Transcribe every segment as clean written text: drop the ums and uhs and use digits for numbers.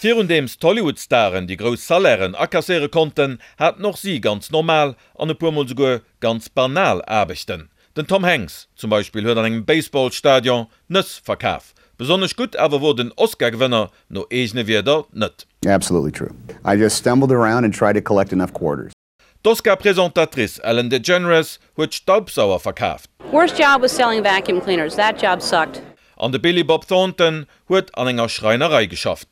Virundeems d'Hollywood-Staren déi grouss Salairen akasséiere konnten, haten och si ganz normal an e puer mol souguer ganz banal Aarbechten. Den Tom Hanks zum Beispill huet an engem Baseball-Stadion Nëss verkaf. Besonnesch gutt awer wor den Oscar-Gewënner no eegene Wierder net. Absolutely true. I just stumbled around and tried to collect enough quarters. D'Oscar-Presentatrice Ellen DeGeneres huet Staubsauer verkaaft. Worst job was selling vacuum cleaners. That job sucked. An de Billy Bob Thornton huet an enger Schreinerei geschafft.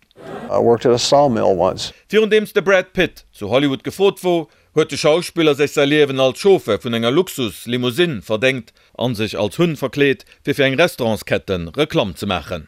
I worked at a sawmill once. Virundeems de Brad Pitt zu Hollywood gefrot wor, huet de Schauspiller sech säi Liewen als Chauffeur vun enger Luxus-Limousine verdéngt an sech als Hunn verkleet, fir fir eng Restaurantsketten Reklamm ze maachen.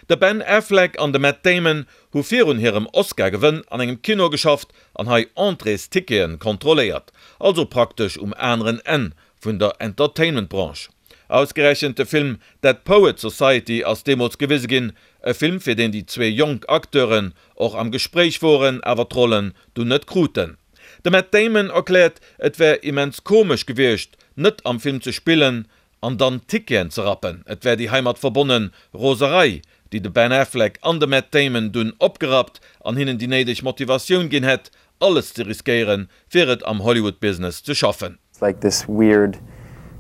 De Ben Affleck an de Matt Damon hu virun hirem Oscar-Gewënn an engem Kino geschafft an hei Entréestickete kontrolléiert, also praktesch um aneren Enn vun der Entertainment-Branche. Ausgerechent de Film Dead Poets Society ass deemools gewise ginn, e Film fir deen déi zwee jonk Acteuren och am Gespréich woren, awer d'Rollen dunn net kruten. De Matt Damon erkläert, et wär immens komesch gewiescht, net am Film ze spillen An dann Ticketen ze rappen. Et wär déi heimat verbonne Roserei, déi de Ben Affleck an de Matt Damon dunn opgerappt an hinnen déi néideg Motivatioun ginn hätt, alles ze riskéieren, fir et am Hollywood-Business ze schaffen. It's like this weird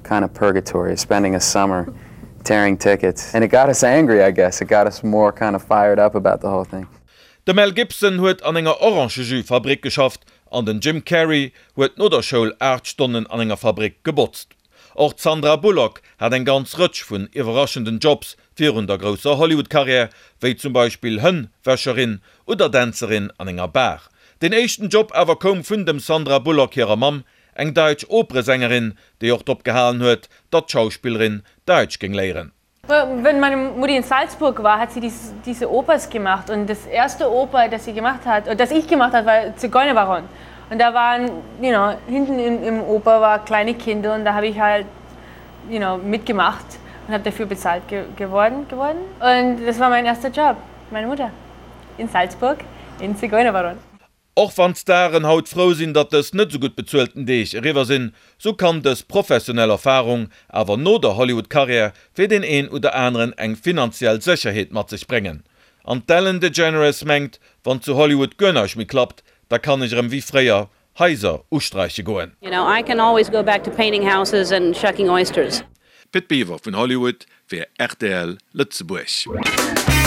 kind of purgatory, spending a summer tearing tickets. And it got us angry, I guess. It got us more kind of fired up about the whole thing. De Mel Gibson huet an enger Orangejus-Fabrik geschafft an den Jim Carrey huet no der Schoul 8 Stonnen an enger Fabrik gebotzt. Och d'Sandra Bullock hat eng ganz Rëtsch vun iwwerraschenden Jobs virun der grousser Hollywood-Karriär, wéi zum Beispill Hënn-Wäscherin oder Dänzerin an enger Bar. Deen éischten Job awer koum vun dem Sandra Bullock hirer Mamm, eng daitsch Operesängerin, déi och drop gehalen huet, datt d'Schauspillerin Daitsch géing léieren. Wenn meine Mutti in Salzburg war, hat sie dies, diese Opers gemacht und das erste Oper, das sie gemacht hat oder das ich gemacht hat, war Zigeunerbaron. Und da waren you know, hinten im, im Oper war kleine Kinder und da habe ich halt you know, mitgemacht und habe dafür bezahlt ge geworden geworden. Und das war mein erster Job, meine Mutter in Salzburg in Zigeunerbaron. Och wann d'Staren haut frou sinn, datt dës net esou gutt bezuelten Deeg eriwwer sinn, sou kann dës professionell Erfarung awer no der Hollywood-Karriär fir deen een oder aneren eng finanziell Sécherheet mat sech bréngen. An d'Ellen DeGeneres mengt, wann zu Hollywood guer näischt méi klappt, da kann ech erëm wéi fréier Haiser usträiche goen. You know, I can always go back to painting houses and shucking oysters. Pit Biwer vun Hollywood fir rtl Lëtzebuerg.